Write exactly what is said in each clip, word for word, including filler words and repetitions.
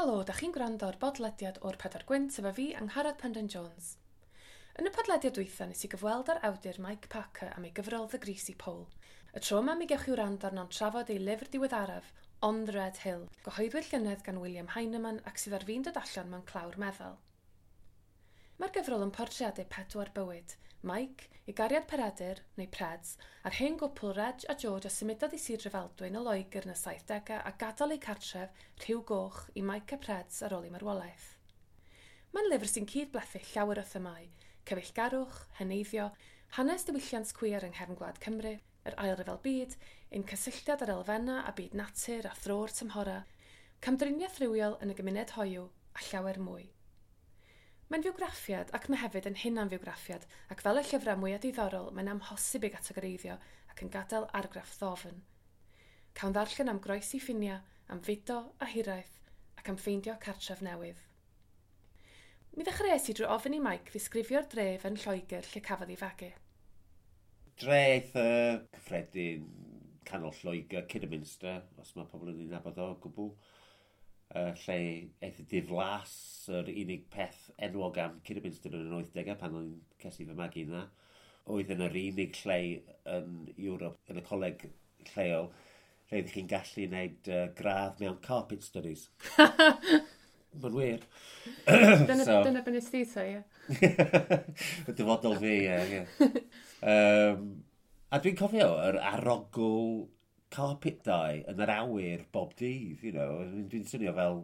Helo, da chi'n gwrando ar bodlediad o'r Pedair Gwynt efo fi, Angharad Penrhyn Jones. Yn y podlediad dwytha nes i gyfweld â'r awdur Mike Parker am ei gyfrol The Greasy Pole. Y tro yma mi gewch chi wrando arno'n trafod ei lyfr diweddaraf, On the Red Hill, gyhoeddwyd llynedd gan William Heinemann ac sydd ar fin dod allan mewn clawr meddal. Mae'r gyfrol yn portreadu pedwar bywyd, Mike, ei gariad Peredur, neu Preds, a'r hen gwpl Reg a George a symudodd i Sir Drefaldwyn o Loegr yn y saithdegau a gadael eu cartref, Rhiw Goch, i Mike a Preds ar ôl ei marwolaeth. Mae'n lyfr sy'n cyd-blethu llawer o themâu, cyfeillgarwch, heneiddio, hanes diwylliant cwiar yng nghefn gwlad Cymru, yr Ail Ryfel Byd, ein cysylltiad â'r elfennau a byd natur a thro'r tymhora, camdriniaeth rywiol yn y gymuned hoiw a llawer mwy. Mae'n fywgraffiad ac mae hefyd yn hunanfywgraffiad ac fel y llyfrau mwyaf diddorol mae'n amhosib ei gategoreiddio ac yn gadael argraff ddofn. Cawn ddarllen am groesi ffiniau, am fudo a hiraeth ac am ffeindio cartref newydd. Mi ddechreuais i drwy ofyn i Mike ddisgrifio'r dref yn Lloegr lle cafodd ei fagu. Dre eitha cyffredin canol Lloegr, Kidderminster, os mae pobl yn ei nabod o gwbl. Uh, lle eitha diflas, yr unig peth enwog am Kidderminster yn yr wythdegau pan o'n ces i fy magu yna. Oedd yn yr unig lle yn Ewrop, yn y coleg lleol, lle ydych chi'n gallu gwneud uh, gradd mewn carpet studies. Mae'n wir. Dyna, So- dyna be nes di ta, ie. Y dyfodol fi, ie. ie. Um, a dwi'n cofio yr arogl carpet dye yn yr awyr bob dydd, you know. Dwi'n swnio fel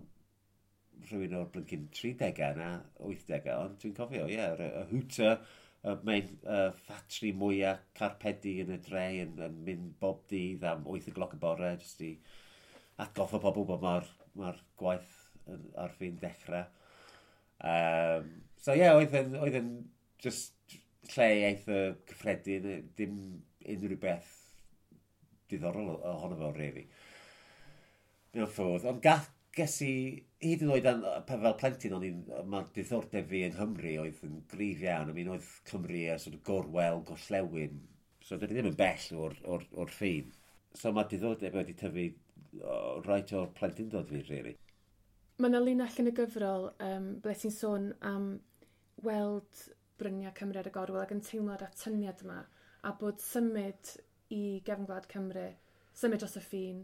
rhywun o'r blincin tridegau na wythdegau, ond dwi'n cofio, ie, yeah, y hooter, y main uh, ffatri mwyaf carpedi yn y dre yn, yn mynd bob dydd am wyth o gloch y bore, jyst i atgoffa pobl bod mae'r ma gwaith yn, ar fin dechrau. Um, so ie, yeah, oedd yn, oedd yn just lle eitha cyffredin, dim unrhyw beth diddorol ohono fo, really. Mewn ffordd. Ond gath, ges i, hyd yn oed an, fel plentyn, o'n i'n, mae diddordeb fi yng Nghymru oedd yn gryf iawn. I mean, oedd Cymru a sort of gorwel, gorllewin. So, dyn ni ddim yn bell o'r, or, or ffin. So, mae diddordeb wedi tyfu o, right o'r plentyndod fi, really. Mae yna linell yn y gyfrol um, ble ti'n sôn am weld bryniau Cymru ar y gorwel ac yn teimlo'r atyniad yma a bod symud i gefn gwlad Cymru, symud dros y ffin,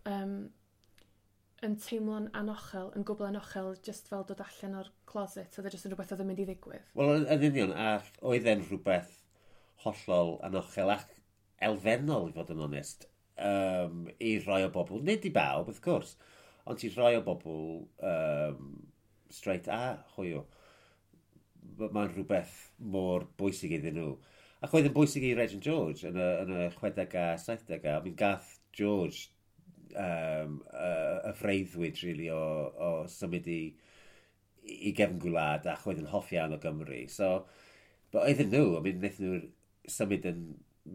um, yn teimlo'n anochel, yn gwbl anochel, just fel dod allan o'r closet, oedd e jyst yn rhywbeth oedd yn mynd i ddigwydd. Wel, yn yn union, a oedd e'n rhywbeth hollol anochel ac elfennol, i fod yn onest, um, i rai o bobl, nid i bawb, wrth gwrs, ond i rai o bobl um, straight a hoyw. Mae'n rhywbeth mor bwysig iddyn nhw. Ac oedd yn bwysig i Reg and George yn y, yn y chwedegau a saithdegau. I mean, gath George um, y, y freuddwyd, really, o, o symud i, i gefn gwlad ac oedd yn hoff iawn o Gymru. So, but oedden nhw, I mean, wnaethon nhw symud yn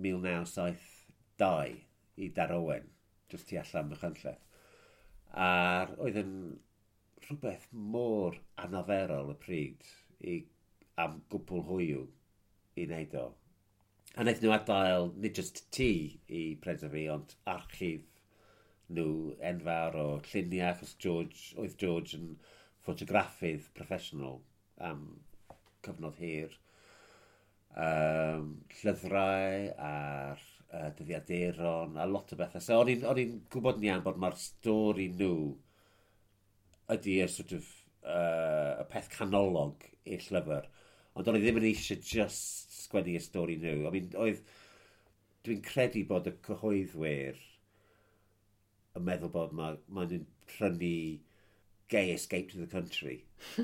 mil naw saith dau i Darowen, just tu allan Machynlleth. A oedd yn rhywbeth mor anarferol y pryd i, am gwpl hoyw i wneud o. A wnaethon nhw adael, nid just tŷ i Preds a fi, ond archif nhw enfawr o lluniau, achos George, oedd George yn ffotograffydd proffesiynol am cyfnod hir. Um, llyfrau a'r uh, dyddiaduron a lot o bethau. So o'n i'n o'n i'n gwybod yn iawn bod mae'r stori nhw ydy y sort of, uh, y peth canolog i'r llyfr. Ond o'n i ddim yn eisiau just sgwennu y stori nhw. I mean, oedd, dwi'n credu bod y cyhoeddwyr yn meddwl bod mae ma nhw'n prynu gay escape to the country,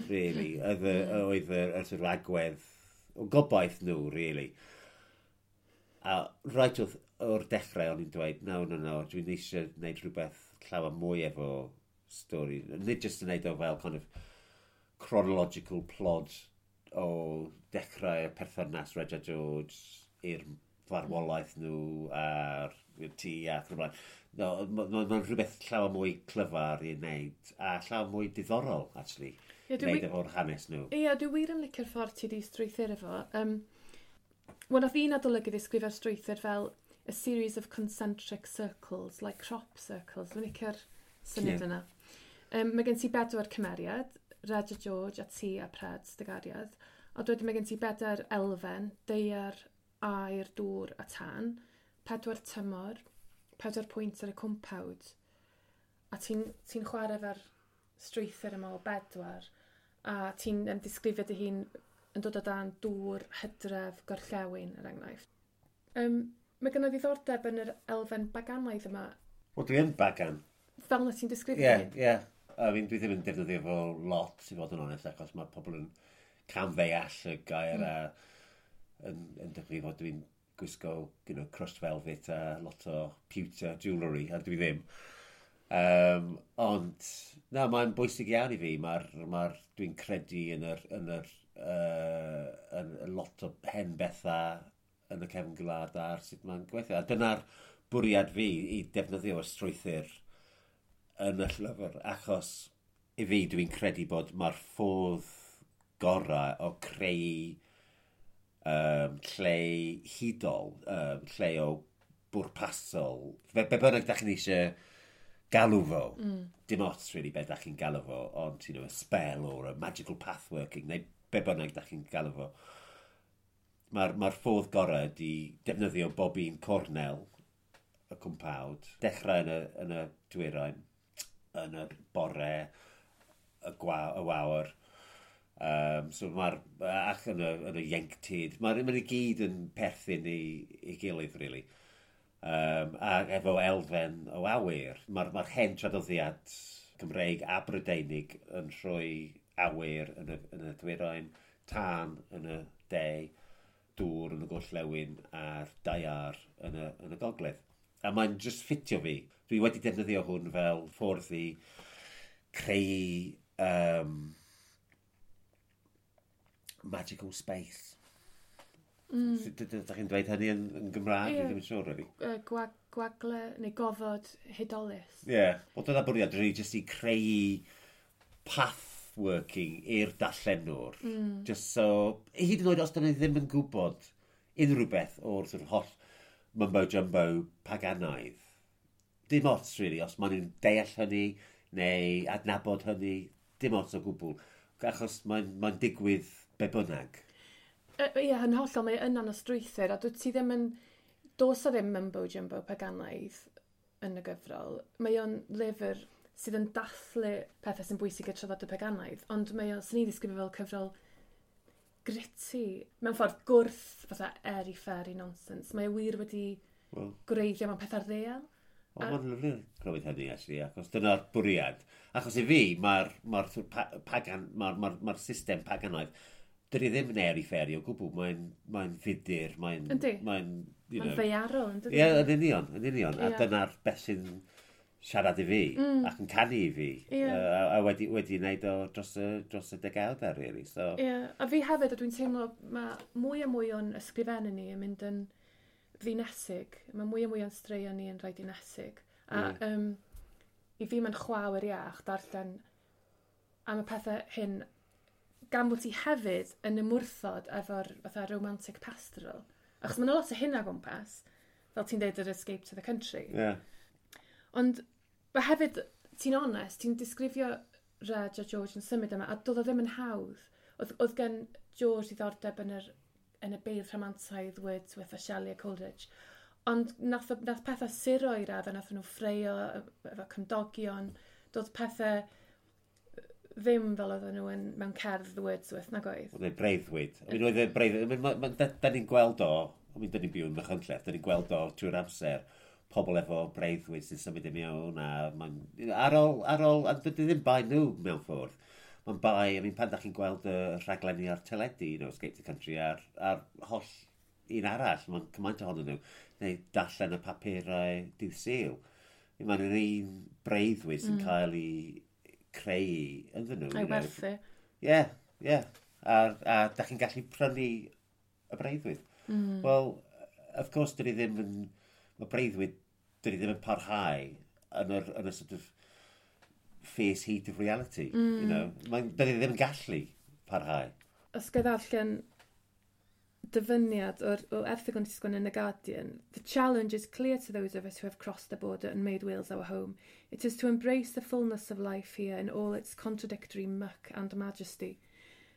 really. Oedd y, oedd y, y sort of agwedd o gobaith nhw, really. A right o'r, o'r dechrau o'n i'n dweud, "No, no, no, dwi'n eisiau gwneud rhywbeth llawer mwy efo stori." Nid just yn gwneud o fel kind of chronological plot o dechrau y perthynas Reg a George i'r farwolaeth nhw a'r tŷ ac yn y blaen. No, mae'n ma, ma rhywbeth llawer mwy clyfar i wneud a llawer mwy diddorol, actually, Ie, i dwi wneud wi- efo'r hanes nhw. Ie, dwi wir yn licio'r ffordd ti wedi strwythuro fo. Um, Wel, nath un adolygu ddisgrifio'r strwythur fel a series of concentric circles, like crop circles. Dwi'n licio'r syniad Ie. yna. Um, mae gen ti bedwar cymeriad, Reg a George a ti a Pred, dy gariad. A wedyn mae gen ti bedair elfen, daear, aer, dŵr a tân, pedwar tymor, pedwar pwynt ar y cwmpawd. A ti'n ti chwarae efo'r strwythur yma o bedwar, a ti'n um, disgrifio dy hun yn dod o dan dŵr, hydref, gorllewin, er enghraifft. Um, mae gynno ddiddordeb yn yr elfen baganaidd yma. Wel, dwi yn bagan. Fel na ti'n disgrifio? Ie, yeah, ie. Yeah. I mean, dwi ddim yn defnyddio fo lot, i fod yn onest, achos mae pobl yn camddeall y gair mm. a yn, yn dychmygu fod dwi'n gwisgo you know, crushed velvet a lot o pewter jewellery, a dwi ddim. Um, ond, na, mae'n bwysig iawn i fi. Mae'r, mae dwi'n credu yn yr, yn yr, uh, yn, yn lot o hen bethau yn y cefn gwlad a'r sut mae'n gweithio. A dyna'r bwriad fi i defnyddio y strwythur yn y llyfr, achos i fi dwi'n credu bod mae'r ffordd gorau o creu um, lle hudol, um, lle o bwrpasol, be, be bynnag da chi'n eisiau galw fo, mm. dim ots really be da chi'n galw fo, ond you know, a spell or a magical path working, neu be bynnag da chi'n galw fo. Mae'r ma ffordd gorau ydi defnyddio bob un cornel y cwmpawd, dechrau yn y, yn y dwyrain, yn y bore, y, gwa, y wawr. Um, so mae'r, ac yn y, yn y ieuenctid, mae'r ma i gyd yn perthyn i, i gilydd, really. Um, a efo elfen o awyr. Mae'r ma hen traddodiad Cymreig a Brydeinig yn rhoi awyr yn y, yn y dwyrain, tân yn y de, dŵr yn y gorllewin a'r daear yn y, yn y gogledd. A mae'n just ffitio fi. Dwi wedi defnyddio hwn fel ffordd i creu um, magical space. Mm. Sut ydych chi'n dweud hynny yn, yn Gymraeg? Yeah. Dwi ddim yn siŵr, really. Uh, gwag, gwagle neu gofod hudolus. Ie. Yeah. Wel, dyna bwriad, really, just i creu path working i'r darllenwr. Mm. Just so, hyd yn oed os dyn ni ddim yn gwybod unrhyw beth o'r sort of holl mumbo jumbo paganaidd. Dim ots, really, os maen nhw'n deall hynny neu adnabod hynny, dim ots o gwbl. Achos mae'n mae digwydd be bynnag. Ie, yeah, yn hollol, mae yna'n o strwythur, a dwi ti ddim yn... Does o ddim mumbo jumbo paganaidd yn y gyfrol. Mae o'n lyfr sydd yn dathlu pethau sy'n bwysig i'r traddodiad paganaidd, ond mae o'n, sy'n ni ddisgrifio fel cyfrol gritty, mewn ffordd gwrth fatha airy fairy nonsense. Mae o wir wedi well, gwreiddio mewn pethau'r ddeal. Wel, mae'n lyfli clywed hynny, actually, achos dyna'r bwriad. Achos i fi, mae'r ma pa, pagan, mae'r ma ma system paganaidd, dydy ddim yn airy fairy o gwbl, mae'n mae fudur, mae'n... Yndi. Mae'n Mae'n ddaearol, yn dydi? Ie, yn union, yn union. Yeah. A dyna'r beth sy'n siarad i fi, mm. ac yn canu i fi. Yeah. A, a wedi, wedi wneud o dros y, dros y degawdau, really. So... Yeah. A fi hefyd, a dwi'n teimlo, mae mwy a mwy o'n ysgrifennu ni yn mynd yn ddinesig. Mae mwy a mwy o'n straeon ni yn rhai dinesig. A mm. um, i fi mae'n chwawyr iach darllen am y pethau hyn, gan bod ti hefyd yn ymwrthod efo'r fatha romantic pastoral. Achos mae'n lot o hynna gwmpas, fel ti'n deud yr Escape to the Country. Yeah. Ond mae hefyd, ti'n onest, ti'n disgrifio Reg a George yn symud yma, a doedd o ddim yn hawdd. Oedd, oedd gen George ddiddordeb yn, yr, yn y beirdd rhamantaidd Wordsworth a Shelley a Coleridge. Ond nath, nath pethau suro i raddau, nath nhw ffraeo efo cymdogion, doedd pethau ddim fel oedden nhw yn, mewn cerdd Wordsworth, nag oedd? Oedd e'n breuddwyd. I mean, oedd e'n breuddwyd. I mean, ma, ma, da, da ni'n gweld o, I mean, da ni'n byw yn Machynlleth, da ni'n gweld o trwy'r amser, pobl efo breuddwyd sy'n symud i mewn, a mae'n, ar ôl, ar ôl, a dydy ddim bai nhw mewn ffordd. Mae'n bai, I mean, pan da chi'n gweld y rhaglenni ar teledu, you know, Escape to the Country, a'r, ar holl un arall, mae'n cymaint ohonyn nhw, neu darllen y papurau dydd Sul. Mae'n yr un breuddwyd sy'n mm. cael ei creu ynddyn nhw. A'i werthu. Ie, ie. A, a da chi'n gallu prynu y breuddwyd. Mm. Wel, of course, dyn ni ddim yn... Mae breuddwyd, dyn ni ddim yn parhau yn yr, yn y sort of fierce heat of reality. Mm. You know? Mae'n, dyn ni ddim yn gallu parhau. Os ga i ddarllen Dyfyniad o'r, o erthygl nes i sgwennu yn The Guardian. "The challenge is clear to those of us who have crossed the border and made Wales our home. It is to embrace the fullness of life here in all its contradictory muck and majesty.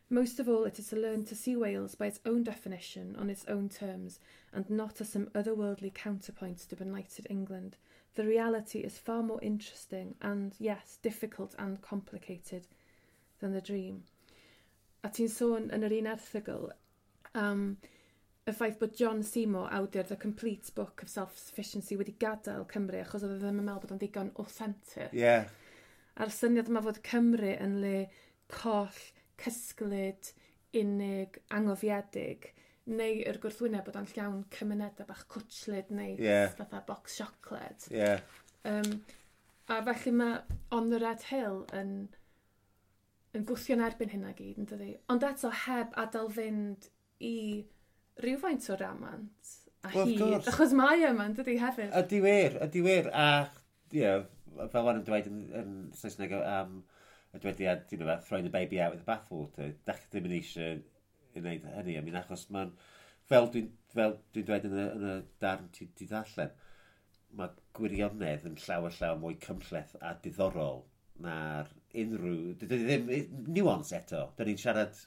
Most of all, it is to learn to see Wales by its own definition, on its own terms, and not as some otherworldly counterpoint to benighted England. The reality is far more interesting and, yes, difficult and complicated than the dream." A ti'n sôn yn yr un erthygl am y ffaith bod John Seymour, awdur The Complete Book of Self-Sufficiency, wedi gadael Cymru achos oedd e ddim yn meddwl bod o'n ddigon authentic. Yeah. A'r syniad yma fod Cymru yn le coll, cysglyd, unig, angofiedig, neu yr gwrthwyneb bod o'n llawn cymunedau bach cwtshlyd neu Yeah. fatha box siocled. Yeah. Um, a felly mae On the Red Hill yn, yn gwthio'n erbyn hynna gyd, yn dydi? Ond eto heb adael fynd i rhywfaint o ramant a Well, of hyd, course. achos mae yma, yn dydi, hefyd. Ydy wir, ydy wir. A, you know, fel maen nhw'n dweud yn, yn Saesneg am y dwediad, you know, throwing the baby out with the bathwater. Dach chi ddim yn eisiau i wneud hynny. I mean, achos mae'n, fel dwi'n fel dwi'n dweud yn y, yn y darn ti di ddarllen, mae gwirionedd yn llawer llawer mwy cymhleth a diddorol na'r unrhyw... Dydy ddim nuance eto. Dyn ni'n siarad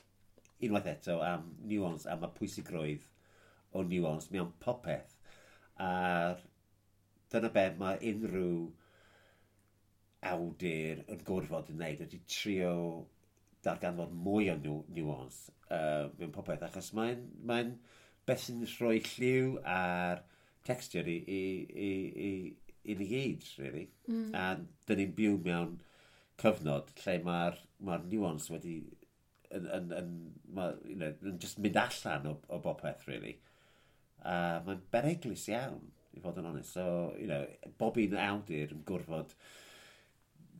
unwaith eto am nuance, am y pwysigrwydd o nuance mewn popeth. A dyna be mae unrhyw awdur yn gorfod yn wneud ydy trio darganfod mwy o nu nuance uh, mewn popeth, achos mae'n mae beth sy'n rhoi lliw a'r texture i, i, i, i, i ni gyd, really. Mm. A dyn ni'n byw mewn cyfnod lle mae'r ma nuance wedi yn, yn, yn, ma, you know, yn just mynd allan o, o bopeth, really. A mae'n beryglus iawn, i fod yn onest. So, you know, bob un awdur yn gorfod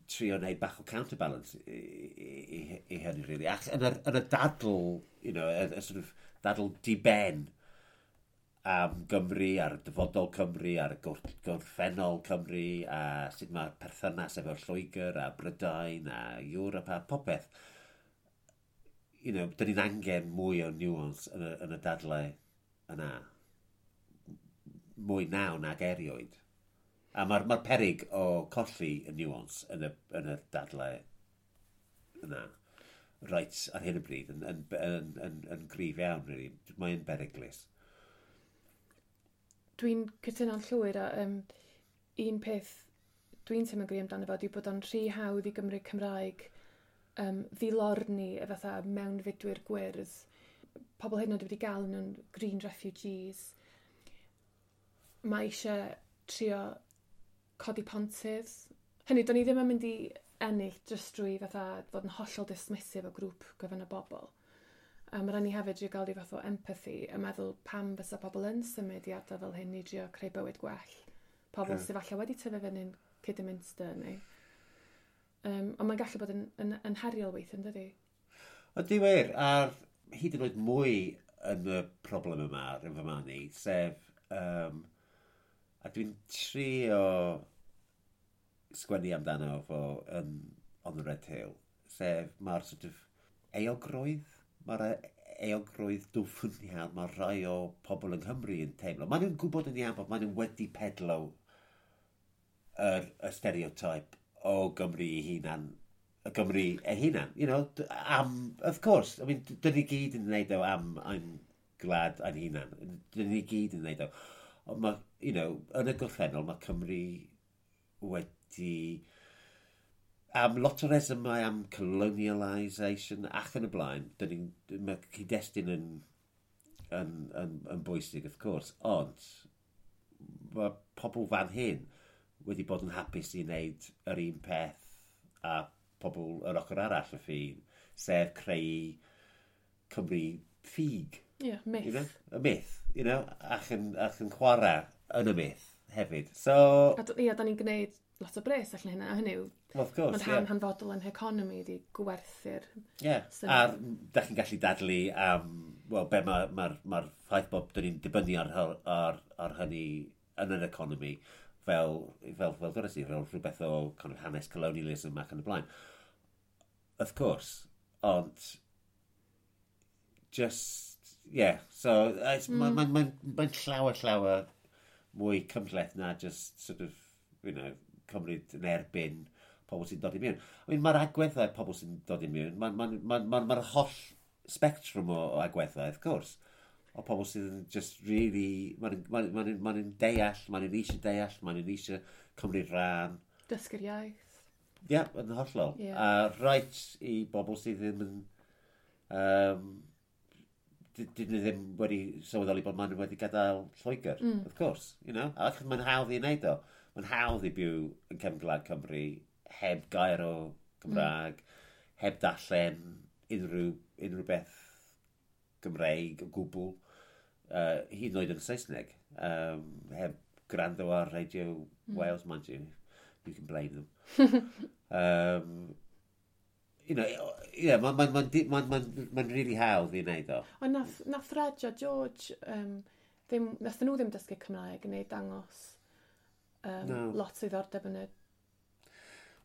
trio wneud bach o counterbalance i, i, i, i hynny, really. Ac yn y, yn y dadl, you know, y, y sort of dadl di-ben am Gymru, ar dyfodol Cymru, ar y gorffennol Cymru, a sut mae'r perthynas efo'r Lloegr a Brydain a Ewrop a popeth. You know, dyn ni'n angen mwy o nuance yn y, yn y dadlau yna. Mwy naw nag erioed. A mae'r ma perig o colli y nuance yn y, yn y dadlau yna reit ar hyn o bryd yn, yn, yn, yn, yn gryf iawn, really. Mae'n beryglus. Dwi'n cytuno'n llwyr a um, un peth dwi'n teimlo'n gry amdano fo ydy bod o'n rhy hawdd i Gymru Cymraeg um, ddilorni y fatha mewnfudwyr gwyrdd. Pobl hyd yn oed wedi gael nhw'n green refugees. Mae eisiau trio codi pontydd. Hynny, do'n i ddim yn mynd i ennill jyst drwy fatha fod yn hollol dismissive o grŵp gyfan o bobl. A mae rhaid ni hefyd drio gael rhyw fath o empathy a meddwl pam fysa pobl yn symud i ardal fel hyn i drio creu bywyd gwell. Pobl yeah. sydd falle wedi tyfu fyny'n Kidderminster neu. Um, ond mae'n gallu bod yn, yn, yn heriol weithio, yn dydi? Ydy wir, a hyd yn oed mwy yn y problem yma, yn fy marn i, sef, um, a dwi'n trio sgwennu amdano fo yn On the Red Hill, sef mae'r sort of euogrwydd, mae'r euogrwydd dwfn iawn, mae rhai o pobl yng Nghymru yn teimlo. Maen nhw'n gwybod yn iawn bod maen nhw wedi pedlo yr, y stereotype o Gymru ei hunan, y Gymru ei hunan, you know, am, of course, I mean, dyn ni gyd yn gwneud o am ein gwlad ein hunan, dyn ni gyd yn gwneud o. Ond mae, you know, yn y gorffennol, mae Cymru wedi, am lot o resymau am colonialisation ac yn y blaen, dyn ni, mae cyd-destun yn, yn, yn, yn bwysig, of course, ond mae pobl fan hyn wedi bod yn hapus i wneud yr un peth a pobl yr ochr arall y ffin, sef creu Cymru ffug. Ie, yeah, myth. You know? Y myth, you know, ac yn, ac yn chwarae yn y myth hefyd. So... A ia, da ni'n gwneud lot o bres allan hynna, a hynny yw, well, of course, mae'n rhan yeah. hanfodol yn economi di gwerthu'r Ie, yeah. a da chi'n gallu dadlu am, wel, be mae'r ma, ma, ma ffaith bod dyn ni'n dibynnu ar, ar, ar hynny yn yr economi, fel, fel, fel dwedais i, fel rhywbeth o kind of hanes colonialism ac yn y blaen. Of course, ond just, Yeah, so mm. mae'n ma, ma, ma llawer, llawer mwy cymhleth na just sort of, you know, cymryd yn erbyn pobl sy'n dod i mewn. I mean, mae'r agweddau pobl sy'n dod i mewn, mae'n ma, ma, ma, ma holl spectrwm o, o agweddau, of course. O pobl sydd yn just really, mae'n ma, ma, ma, ma deall, mae'n eisiau deall, mae'n eisiau cymryd rhan. Dysgu'r iaith. Ie, yeah, yn hollol. Yeah. A reit i bobl sydd ddim yn... Um, dyn nhw ddim wedi sylweddoli bod maen nhw wedi gadael Lloegr, mm. of course, you know. A mae'n hawdd i wneud o. Mae'n hawdd i byw yn cefn gwlad Cymru heb gair o Gymraeg, mm. heb darllen unrhyw, unrhyw beth Gymreig o gwbl, uh, hyd yn oed yn Saesneg, um, heb gwrando ar Radio mm. Wales, mind you, you can blame them. um, you know, yeah, mae'n ma, ma, ma, ma, ma really hawdd i wneud o. Ond nath, nath Reg a George, um, ddim, nath nhw ddim dysgu Cymraeg neu dangos um, no. lot o ddiddordeb yn y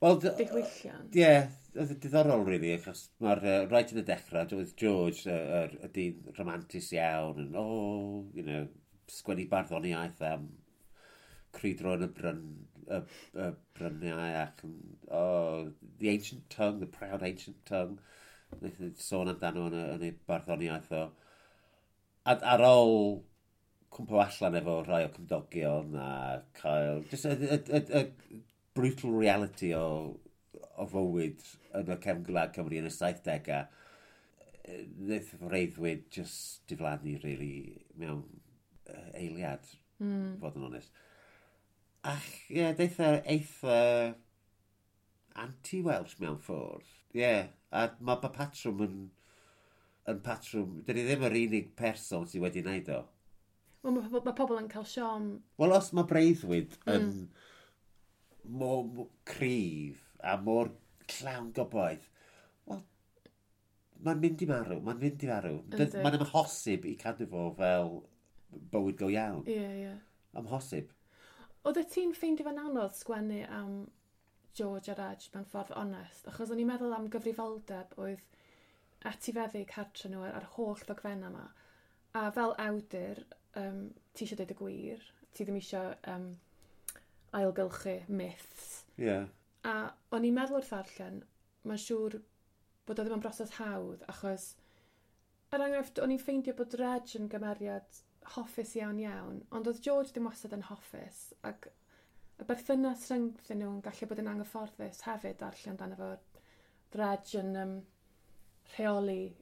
well, diwylliant. Ie, yeah, oedd yn diddorol, really, achos mae'r uh, right yn y dechrau, oedd George, y, y, y dyn romantus iawn, yn, oh, you know, sgwennu barddoniaeth am crwydro yn y bryn, y, y bryniau ac yn, oh, the ancient tongue, the proud ancient tongue. Wnaeth sôn amdano yn y, yn y barddoniaeth o. A ar ôl cwmpo allan efo rhai o cymdogion a cael just y, y, y, y brutal reality o, o fywyd yn y cefn gwlad Cymru yn y saithdegau, wnaeth freuddwyd just diflannu, really, mewn eiliad, mm. fod yn onest. Ac, ie, yeah, deitha eitha anti-Welsh mewn ffordd. Ie, yeah, a mae ma patrwm yn, yn patrwm... Dyn ni ddim yr unig person sydd wedi wneud o. Wel, mae ma pobl yn cael siom. Wel, os mae breuddwyd mm. yn mor, mor cryf a mor llawn gobaith, wel, mae'n mynd i marw, mae'n mynd i farw. Mae'n amhosib i cadw fo fel bywyd go iawn. Ie, yeah, ie. Yeah. Amhosib. Oedd ti'n ffeindio fe'n anodd sgwennu am George a Reg mewn ffordd onest? Achos o'n i'n meddwl am gyfrifoldeb oedd etifeddu cartre nhw ar, ar holl ddogfennau yma. A fel awdur, um, ti eisiau dweud y gwir, ti ddim eisiau um, ailgylchu myths. Yeah. A o'n i'n meddwl wrth ddarllen, mae'n siŵr bod o ddim yn broses hawdd, achos er enghraifft, o'n i'n ffeindio bod Reg yn gymeriad hoffus iawn iawn, ond oedd George ddim wastad yn hoffus, ac y berthynas rhyngddyn nhw yn gallu bod yn anghyfforddus hefyd darllen amdano fo. Reg yn um, rheoli,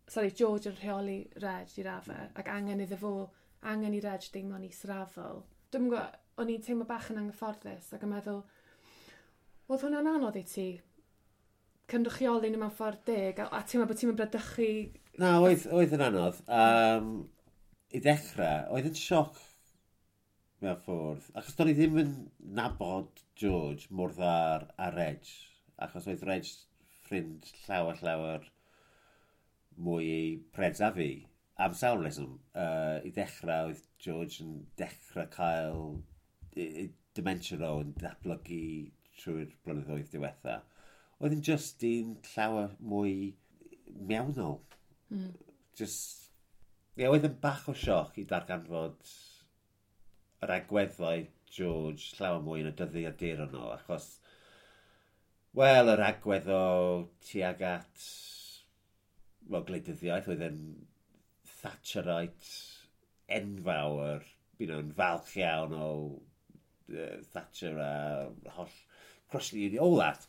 sorry, George yn rheoli Reg i raddau, ac angen iddo fo, angen i Reg deimlo'n israddol. Dwi'm yn gwybod, o'n i'n teimlo bach yn anghyfforddus ac yn meddwl, oedd hwnna'n anodd i ti cynrychioli nhw mewn ffordd deg, a, a teimlo bod ti'n mynd bradychu? Na, oedd, oedd yn anodd. Um, I ddechrau, oedd yn sioc mewn ffordd. Achos do'n i ddim yn nabod George mor dda a Reg. Achos oedd Reg ffrind llawer, llawer mwy i preds a fi. Am sawl reswm. Uh, I ddechrau, oedd George yn dechrau cael dementia o yn datblygu trwy'r blynyddoedd diwetha. Oedd yn just un llawer mwy mewnol. Mm. Just, ie, yeah, oedd yn bach o sioc i darganfod yr agweddau George llawer mwy yn y dyddiaduron o, achos, wel, yr agwedd o tuag at, wel, gwleidyddiaeth, oedd yn Thatcherite enfawr, you know, yn falch iawn o uh, Thatcher a holl Crossley, all that.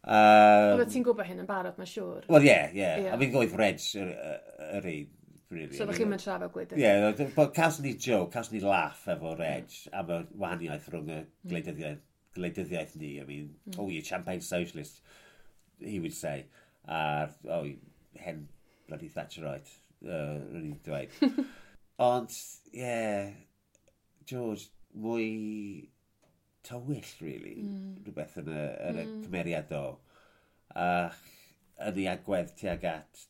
Um, Oedd ti'n gwybod hyn yn barod, mae'n siŵr. Wel, ie, yeah, ie. Yeah. Yeah. I mean, oedd Reg yr, yr un, really. So ddech chi'n mynd trafod gwleidyddiaeth? Ie, yeah, but cawson ni joke, cawson ni laugh efo Reg am y wahaniaeth rhwng y gwleidyddiaeth, gwleidyddiaeth ni. I mean, mm. oh, you're champagne socialist, he would say. A, oh, hen bloody Thatcherite, uh, rwy'n i'n dweud. Ond, ie, yeah, George, mwy tywyll, really. Mm. Rhywbeth yn y, yn y mm. cymeriad o. A yn ei agwedd tuag at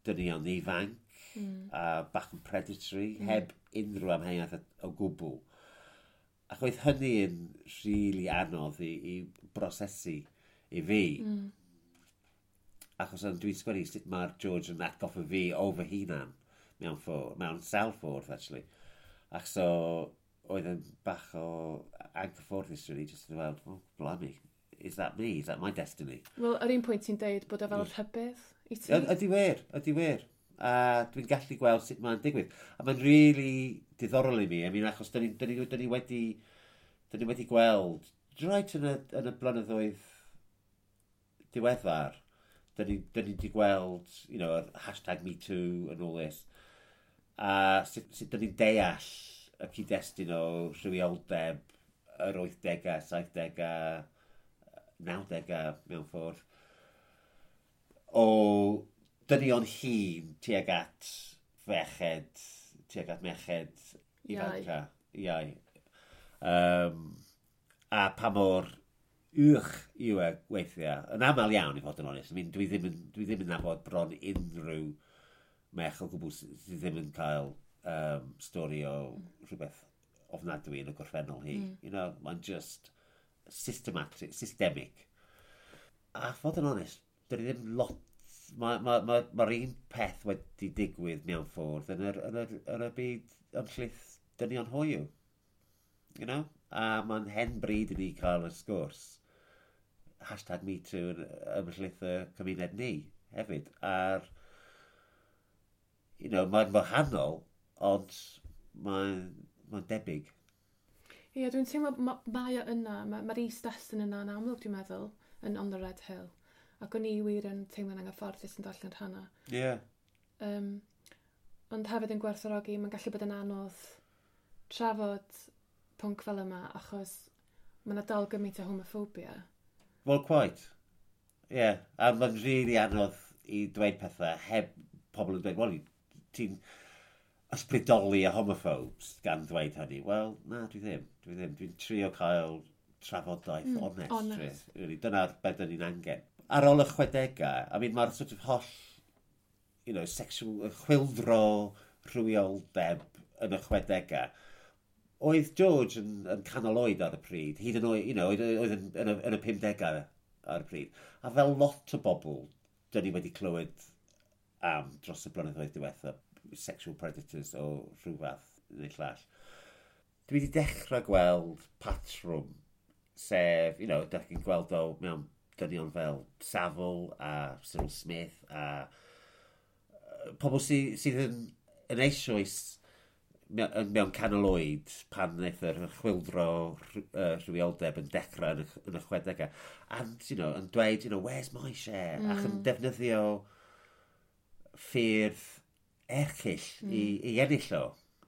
dynion ifanc, mm. a bach yn predatory, mm. heb unrhyw amheuaeth o gwbl. Ac oedd hynny yn rili anodd i, i brosesu i fi. Mm. Achos dwi'n sgwennu sut mae'r George yn atgoffa fi o fy hunan. mewn, ffordd, mewn sawl ffordd, actually. Ac so, oedd yn bach o anghyfforddus, really, just yn weld, "Oh, blimey, is that me? Is that my destiny?" Wel, ar un pwynt ti'n deud bod o fel rhybudd i ti. Ydy wir, ydy wir. A dwi'n gallu gweld sut mae'n digwydd. A mae'n really diddorol i mi. I mean, achos dyn ni, dyn ni, dyn ni wedi, dyn ni wedi gweld, right yn y, yn y blynyddoedd diweddar, dyn ni, dyn ni wedi gweld, you know, yr hashtag Me Too and all this. A sut, sut dyn ni'n deall y cyd-destun o rhywioldeb yr wythdegau, saithdegau, nawdegau mewn ffordd, o dynion hŷn tuag at ferched, tuag at merched ifanca. Iau. Um, a pa mor uwch yw e weithiau. Yn aml iawn, i fod yn onest. I mean, dwi ddim yn, dwi ddim yn nabod bron unrhyw merch o gwbl sydd ddim yn cael um, stori o rhywbeth ofnadwy yn y gorffennol hi. Mm. You know, mae'n just systematic, systemic. A fod yn onest, dyn ni ddim lot. Mae'r ma, ma, ma, ma un peth wedi digwydd mewn ffordd yn yr, yn yr, yn y byd ymhlith dynion hoyw. You know? A mae'n hen bryd i ni cael y sgwrs. Hashtag Me Too yn ymhlith y cymuned ni hefyd. A'r, you know, mae'n wahanol, ond mae'n mae debyg. Ie, dwi'n teimlo ma, mae o yna, mae'r ma is-destun yna yn amlwg, dwi'n meddwl, yn On the Red Hill. Ac o'n i wir yn teimlo'n anghyfforddus yn darllen rhannau. Ie. Yeah. Um, ond hefyd yn gwerthfawrogi, mae'n gallu bod yn anodd trafod pwnc fel yma, achos mae yna dal gymaint o homophobia. Well, quite. Ie, yeah. A mae'n really anodd i dweud pethau heb pobl yn dweud, "Wel, ti'n ysbrydoli y homophobes gan ddweud hynny." Wel, na, dwi ddim. Dwi ddim. Dwi'n trio cael trafodaeth mm, onest. Honest. Really. Dyna'r beth dyn ni'n angen. Ar ôl y chwedegau, I mean, mae'r sort of holl, you know, sexual, chwyldro rhywioldeb yn y chwedegau. Oedd George yn, yn canol oed ar y pryd, hyd yn oed, you know, oedd, oedd yn, yn, y, yn y pumdegau ar y pryd. A fel lot o bobl, dyn ni wedi clywed am dros y blynyddoedd diwethaf, sexual predators o rhyw fath neu llall. Dwi wedi dechrau gweld patrwm, sef, you know, dych chi'n gweld o mewn dynion fel Savile a Cyril Smith a yy, pobl sydd, sydd yn, yn eisoes mewn, mewn canol oed pan wnaeth yr chwyldro rh- yy, rhywioldeb yn dechrau yn y, yn y chwedegau. And, you know, yn dweud, you know, "Where's my share?" Mm. Ac yn defnyddio ffyrdd erchyll mm. i, i ennill o.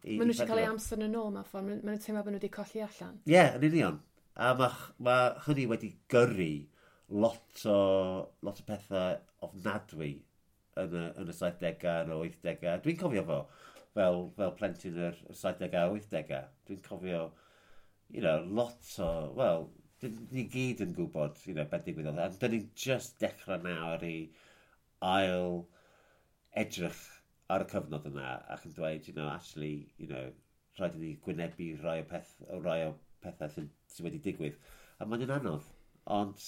I, Maen nhw i eisiau cael eu fedru. amser yn ôl mewn ffordd, maen nhw'n teimlo bod nhw wedi colli allan. Ie, yeah, yn union. A mae ma hynny wedi gyrru lot o, lot o pethau ofnadwy yn y, yn y saithdegau, yn y wythdegau. Dwi'n cofio fo fel, fel plentyn yr saithdegau a wythdegau. Dwi'n cofio, you know, lot o, wel, dyn ni gyd yn gwybod, you know, beth digwyddodd. A dyn ni'n just dechrau nawr i ail edrych ar y cyfnod yna ac yn dweud, you know, actually, you know, rhaid i ni gwynebu rai o, peth, o rai o pethau sydd, sydd wedi digwydd. A mae'n anodd, ond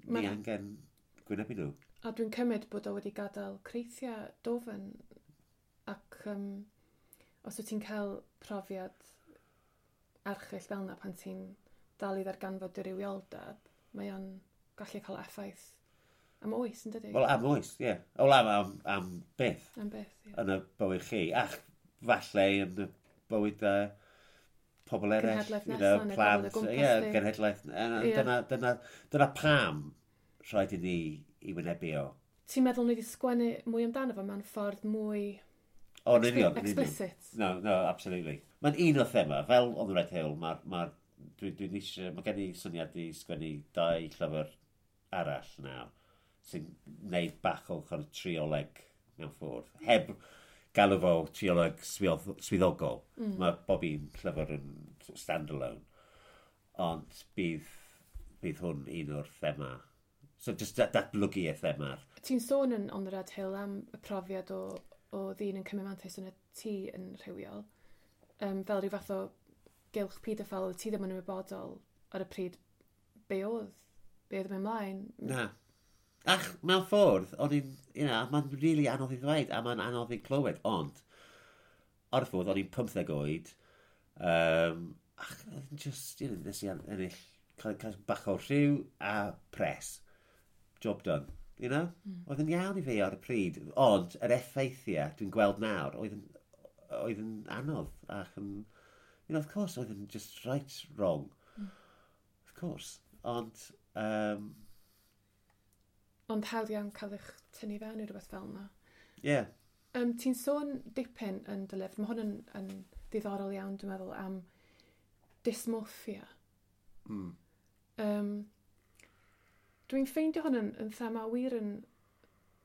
ni Ma- angen gwynebu nhw. A dwi'n cymryd bod o wedi gadael creithiau dofn ac um, os wyt ti'n cael profiad erchyll fel yna pan ti'n dal i ddarganfod dy rywioldeb, mae o'n gallu cael effaith am oes, yn dydi? Wel, am oes, ie. Yeah. Wel, am, am, am byth Am byth, ie. yn y bywyd chi. Ac falle yn y bywyd uh, pobl eraill. Genhedlaeth you nesa, know, neu plant. pobl o gwmpas Ie, di. genhedlaeth. Ie. Dyna, dyna, dyna pam rhaid i ni i wynebu o. Ti'n meddwl ni wedi sgwennu mwy amdano fo mewn ffordd mwy O, yn union, yn union. explicit? No, no, absolutely. Mae'n un o thema, fel On the Red Hill, mae'r ma dwi, dwi'n eisiau, mae gen i syniad i sgwennu dau llyfr arall nawr, sy'n gwneud bach o kind of trioleg mewn ffordd. Heb galw fo trioleg swydd- swyddogol. Mm. Mae bob un llyfr yn sort of stand-alone. Ond bydd, bydd hwn un o'r thema. So just dat- datblygu y thema. Ti'n sôn yn On the Red Hill am y profiad o, o ddyn yn cymryd mantais yn y tŷ yn rhywiol. Um, fel rhyw fath o gylch pedophile, ti ddim yn ymwybodol ar y pryd be oedd, be oedd yn mynd ymlaen. Na. Ach, mewn ffordd, o'n i'n, you know, mae'n really anodd i ddweud, a mae'n anodd i clywed, ond Ar y ffordd, o'n i'n pymtheg oed, um, ac oedd yn just, you know, nes i ennill cael, cael bach o rhyw a pres. Job done. You know? Mm. Oedd yn iawn i fi ar y pryd. Ond yr effeithiau dwi'n gweld nawr, oedd yn, oedd yn anodd ac yn, you know, of course, oedd yn just right wrong. Mm. Of course. Ond, um, Ond hawdd iawn cael eich tynnu fewn i rhywbeth fel yna. Yeah. Um, ti'n sôn dipyn yn dy lyfr, mae hwn yn, yn ddiddorol iawn, dwi'n meddwl, am dysmorphia. Mm. Um, dwi'n ffeindio hwn yn, yn thema wir yn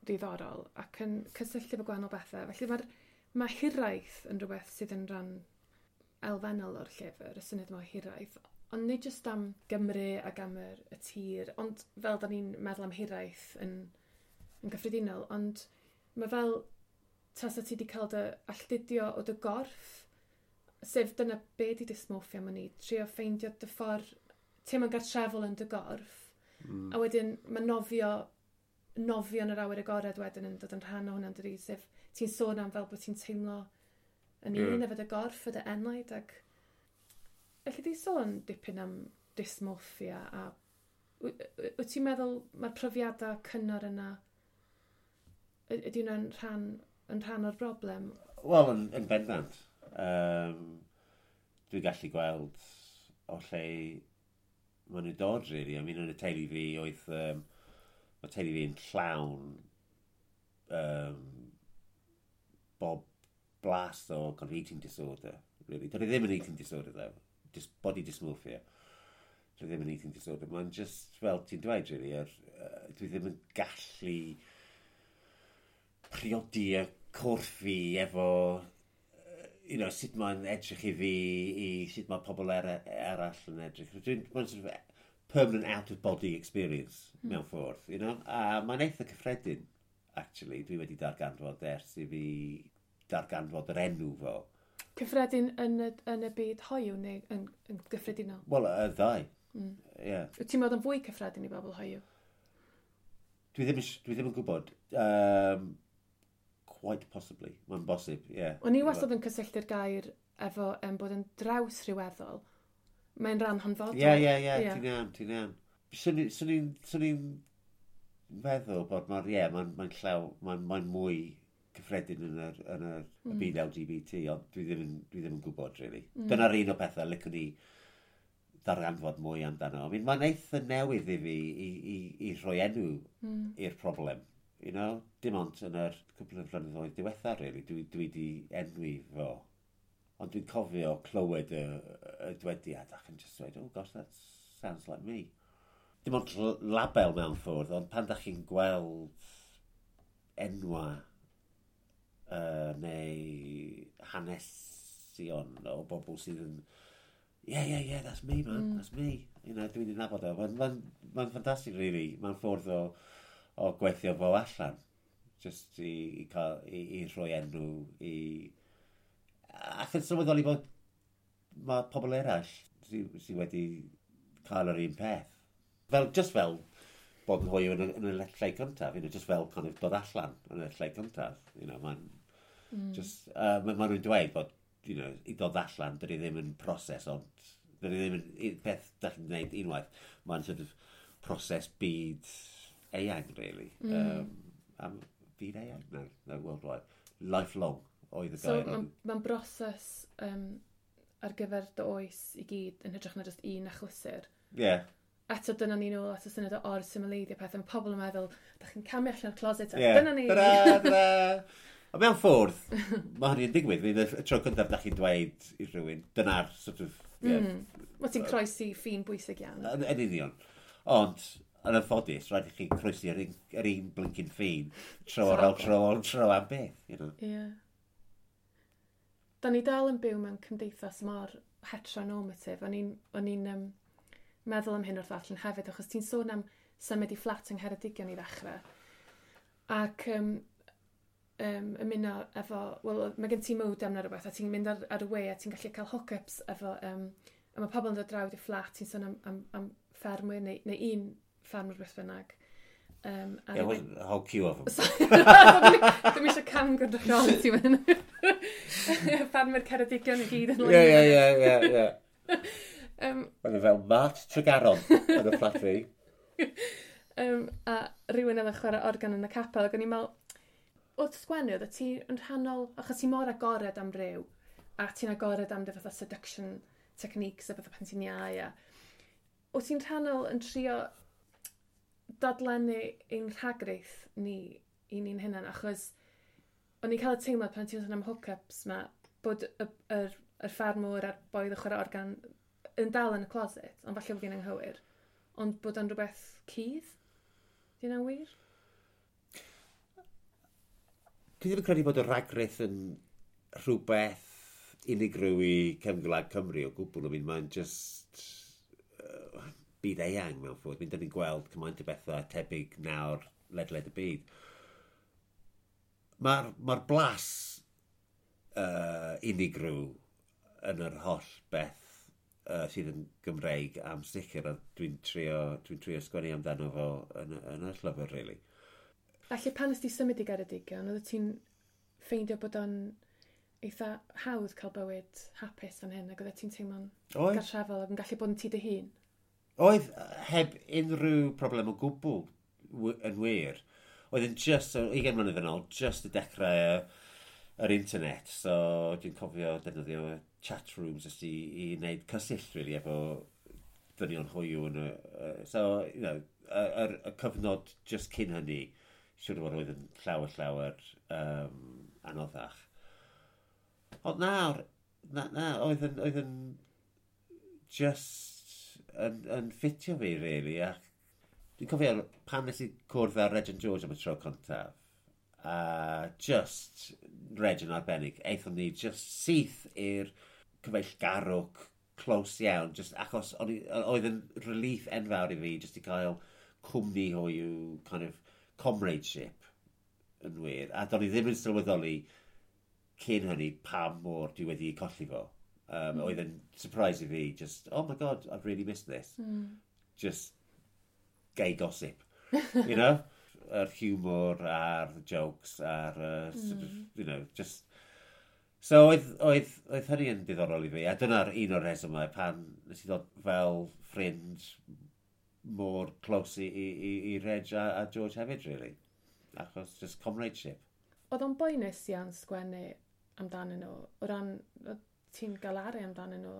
ddiddorol ac yn cysylltu efo gwahanol bethau. Felly mae'r mae hiraeth yn rhywbeth sydd yn rhan elfennol o'r llyfr, y syniad yma o hiraeth. Ond nid jyst am Gymru ac am yr, y tir, ond fel da ni'n meddwl am hiraeth yn, yn gyffredinol, ond mae fel tasa ti wedi cael dy alltudio o dy gorff, sef dyna be di dysmorphia am ni, trio ffeindio dy ffordd, teimlo'n gartrefol yn dy gorff, mm. a wedyn mae nofio, nofio yn yr awyr agored wedyn yn dod yn rhan o hwnna'n dydi, sef ti'n sôn am fel bod ti'n teimlo yn un yeah. efo dy gorff, efo dy enaid, ac Felly di sôn dipyn am dysmorphia a wyt ti'n meddwl mae'r profiadau cynnar yna, ydy hwnna'n rhan, yn rhan o'r broblem? Wel, yn, yn bendant. Um, dwi'n gallu gweld o lle maen nhw'n dod, really. I mean, yn y teulu fi oedd... Um, mae teulu fi'n llawn um, bob blas o kind of eating disorder, really. Doedd e ddim yn eating disorder, though. Just body dysmorphia. Dwi ddim yn eating disorder. Mae'n just, fel ti'n dweud, really, er, uh, dwi ddim yn gallu priodi y corff fi efo, uh, you know, sut mae'n edrych i fi, i sut mae pobl er, eraill yn edrych. Dwi'n, mae'n sort of permanent out of body experience mm. mewn ffordd, you know? A mae'n eitha cyffredin, actually. Dwi wedi darganfod ers i fi darganfod yr enw fo. Cyffredin yn y, yn y byd hoyw neu yn, yn gyffredinol? Wel, y ddau. Mm. Yeah. Wyt ti'n meddwl yn fwy cyffredin i bobl hoyw? Dwi ddim, dwi ddim yn gwybod. Um, quite possibly. Mae'n bosib, ie. Yeah. O'n i wastad yn cysylltu'r gair efo um, bod yn draws rhyweddol. Mae'n rhan hanfodol. Ie, ie, ie, ti'n iawn, ti'n iawn. Swn i'n feddwl bod mae'n, ie, mae'n mae llaw, mae'n mae mwy cyffredin yn yr, yn yr mm. y byd L G B T, ond dwi ddim yn, dwi ddim yn gwybod, really. Mm. Dyna'r un o pethau licwn i ddarganfod mwy amdano. I mean, mae'n eitha newydd i fi i, i, i rhoi enw mm. i'r problem. You know? Dim ond yn yr cwpl o flynyddoedd diwetha, really, dwi, dwi di enwi fo. Ond dwi'n cofio clywed y, y dwediad ac yn just dweud, "Oh gosh, that sounds like me." Dim ond label mewn ffordd, ond pan da chi'n gweld enwa uh, neu hanesion o bobl sydd yn "Yeah, yeah, yeah, that's me, man, mm. that's me." You know, dwi'n nabod o. Mae'n ma, ma ffantastig, really. Mae'n ffordd o, o gweithio fo allan. Just i, i, cael, i, i rhoi enw i... Ac yn sylweddoli bod mae pobl eraill sydd sy wedi cael yr un peth. Fel, just fel bod yn hoyw yn, y, yn y lle cyntaf, you know, just fel kind of dod allan yn y lle cyntaf. You know, mae'n mm. just, uh, ma, ma nhw'n dweud bod, you know, i dod allan, dydy ddim yn proses, ond dydy ddim yn peth da chi'n gwneud unwaith. Mae'n sort of proses byd eang, really. Mm. Um, am byd eang? No, no, worldwide. Lifelong oedd y so, gair. So, mae'n ma broses um, ar gyfer dy oes i gyd yn hytrach na just un achlysur. Ie. Yeah. Eto dyna ni nôl at y syniad o or-symleiddio pethau. Mae pobl yn meddwl, da chi'n camu allan o'r closet, a yeah. dyna ni. Ta-da, ta-da. A mewn ffordd, mae hynny'n digwydd. Y tro cyntaf da chi'n dweud i rhywun, dyna'r sort of... Yeah, mm. Wel, ti'n croesi ffin bwysig iawn. Yn, yn union. Ond, yn anffodus, rhaid i chi croesi yr un, yr un blincin ffin tro ar ôl tro ar tro am beth, you know. Ie. Yeah. Da ni dal yn byw mewn cymdeithas mor heteronormative. O'n i'n o'n i'n um, meddwl am hyn wrth ddarllen hefyd, achos ti'n sôn am symud i fflat yng Ngheredigion i ddechrau. Ac um, um, ymuno efo, wel, mae gen ti modem neu rhywbeth, a ti'n mynd ar, ar y we a ti'n gallu cael hook-ups efo, um, a mae pobl yn dod draw i fflat, ti'n sôn am, am, am ffermwyr neu, neu un ffermwr beth bynnag. Um, yeah, wasn't a whole queue of them. Dwi'n eisiau cam gynrychioli ti fan. Ffarmwyr Ceredigion i gyd yn Ie, ie, ie, ie, ie. Mae'n fel Mart Tregaron yn y fflat fi. um, a rhywun oedd yn chwarae organ yn y capel, ac o'n i'n meddwl, wrth sgwennu, oedd ti yn rhannol, achos ti mor agored am ryw, a ti'n agored am dy fatha seduction techniques a fatha pan ti'n iau, a wyt ti'n rhannol yn trio dadlennu ein rhagrith ni i ni'n hunan, achos o'n i'n cael y teimlad pan ti'n sôn am hookups ma, bod y, yr, yr ffarmwr a'r boi oedd yn chwarae organ yn dal yn y closet, ond falle bod fi'n anghywir, ond bod o'n rhywbeth cudd? Di hynna'n wir? Dwi ddim yn credu bod y rhagrith yn rhywbeth unigryw i cefn gwlad Cymru o gwbl. I mean, mae'n just uh, byd eang mewn ffordd. Mi'n dyn ni'n gweld cymaint o bethau tebyg nawr ledled y byd. Mae'r ma blas uh, unigryw yn yr holl beth uh, sydd yn Gymreig am sicr, a dwi'n trio, dwi'n trio sgwennu amdano fo yn, yn y llyfr, really. Felly pan nes ti symud i Geredigion, oedd ti'n ffeindio bod o'n eitha hawdd cael bywyd hapus fan hyn, ac oedd ti'n teimlo'n gartrefol ac yn gallu bod yn ti dy hun? Oedd, heb unrhyw problem o gwbl yn wir. Oedd yn just, ugain mlynedd yn ôl, just y dechrau yr internet. So dwi'n cofio defnyddio chat rooms just i, i wneud cysyll, really, efo dynion hoyw. Yn y, so, you know, y, y, y cyfnod just cyn hynny, siwr o fod oedd yn llawer, llawer um, anoddach. Ond nawr, na, na, oedd yn, oedd yn just yn, yn ffitio fi, really. Ac dwi'n cofio pan nes i cwrdd â Reg and George am y tro cyntaf, a just Reg yn arbennig, aethon ni just syth i'r cyfeillgarwch close iawn, just achos oedd yn relief enfawr i fi just i cael cwmni hoyw kind of comradeship yn wir. A do'n i ddim yn sylweddoli cyn hynny pa mor dwi wedi colli fo. Um, mm. Oedd yn surprise i fi, just, oh my God, I've really missed this. Mm. Just gay gossip, you know? Yr humour a'r jokes a'r, uh, mm. sort of, you know, just... So oedd, oedd, oedd hynny yn diddorol i fi, a dyna'r un o'r rhesymau pan nes i ddod fel ffrind mor close i, i, i, i Reg a, a George hefyd, really. Achos just comradeship. Oedd o'n boenus iawn sgwennu amdanyn nhw, o ran, ti'n galaru amdanyn nhw,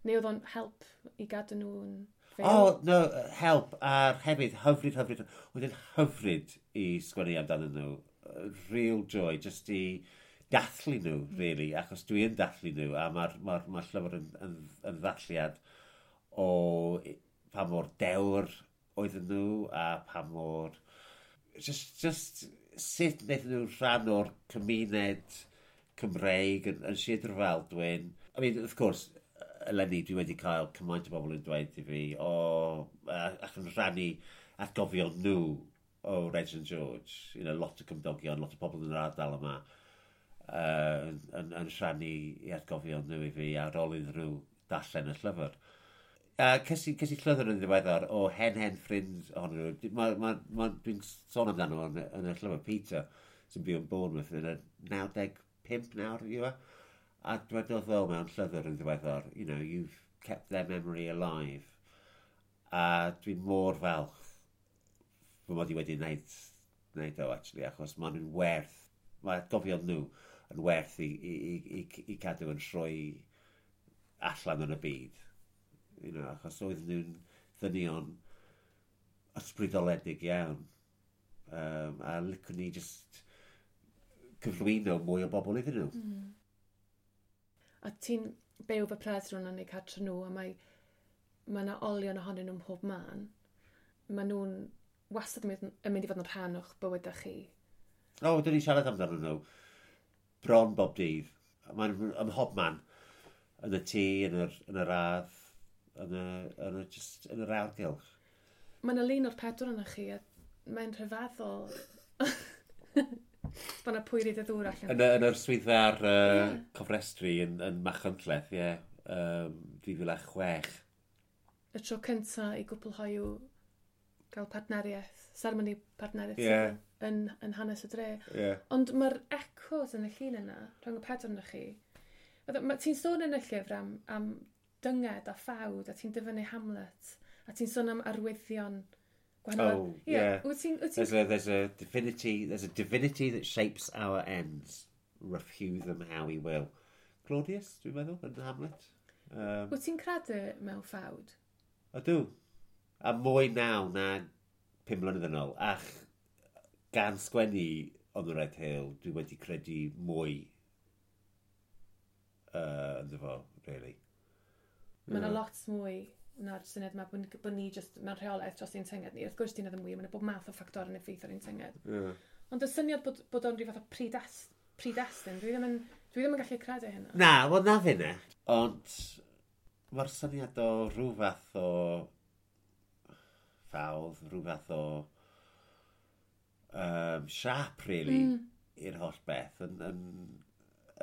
neu oedd o'n help i gadw nhw'n fyw? Oh, no, help, a'r hefyd, hyfryd, hyfryd, oedd yn hyfryd i sgwennu amdanyn nhw. Real joy, just i dathlu nhw, really, achos dwi yn dathlu nhw, a mae'r ma, ma llyfr yn, yn, yn ddathliad o pa mor dewr oedden nhw, a pa mor... Just, just sut wnaethon nhw rhan o'r cymuned Cymreig yn, yn Sir Drefaldwyn. I mean, of course, eleni dwi wedi cael cymaint o bobl yn dweud i fi, o, ac yn rhannu atgofion nhw o Reg and George. You know, lot o cymdogion, lot o bobl yn yr ardal yma uh, yn, yn, yn rhannu i atgofion nhw i fi ar ôl iddyn nhw darllen y llyfr. A ces i, ces i llythyr yn ddiweddar o hen hen ffrind ohonyn nhw. Ma, ma, ma, dwi'n sôn amdano yn, yn y llyfr, Peter, sy'n byw yn Bournemouth yn y naw deg pump nawr, yw e? A dwedodd o mewn llythyr yn ddiweddar, you know, you've kept their memory alive. A dwi'n mor falch fy mod i wedi wneud, wneud o, actually, achos maen nhw'n werth, mae atgofion nhw yn werth i, i, i, i, i cadw yn rhoi allan yn y byd. You know, achos oedd nhw'n ddynion ysbrydoledig iawn. Um, a licwn ni just cyflwyno mwy o bobl iddyn nhw. Mm. A ti'n byw fy pres rhwng yn eu cartre nhw, a mae mae yna olion ohonyn nhw mhob man. Mae nhw'n wastad yn mynd, yn mynd i fod yn rhan o'ch bywydau chi. O, oh, dyn ni'n siarad amdano nhw bron bob dydd. Mae'n ym mhob man. Yn y tŷ, yn yr, yn yr ardd, yn y, yn y, just, yn yr awyrgylch. Mae yna lun o'r pedwar yna chi, a mae'n rhyfeddol bod yna pwyri dy ddŵr allan. Yn, y, yn yr swyddfa'r uh, yeah. cofrestru yn, yn Machynlleth, ie, yeah, um, dwy fil a chwech. Y tro cynta i gwpl hoyw Gael partneriaeth, seremoni partneriaeth yeah. yn, yn hanes y dre. Yeah. Ond mae'r echoes yn y llun yna, rhwng y pedwar yna chi. Ti'n sôn yn y llyfr am, am dynged a ffawd, a ti'n dyfynnu Hamlet, a ti'n sôn am arwyddion gwahanol. Oh, yeah. yeah. Wyt ti'n, wyt There's a, there's a divinity, there's a divinity that shapes our ends. Rough hew them how we will. Claudius, dwi'n meddwl, yn Hamlet. Um, Wyt ti'n credu mewn ffawd? Ydw. A mwy naw na pum mlynedd yn ôl. Ach, gan sgwennu On the Red Hill, dwi wedi credu mwy uh, ynddo fo, really. Mae yna lot mwy na'r syniad yma bod, bod ni just mewn rheolaeth dros ein tynged ni. Wrth gwrs dyn ddim wir, mae'n bob math o ffactor yn effeithio ar ein tynged. Yeah. Ond y syniad bod, bod o'n rhyw fath o predest, predestyn, dwi ddim yn, dwi ddim yn gallu credu hynna. Na, wel na finne. Ond mae'r syniad o rhyw fath o ffawd, rhyw fath o um, siap, really, mm. i'r holl beth yn, yn,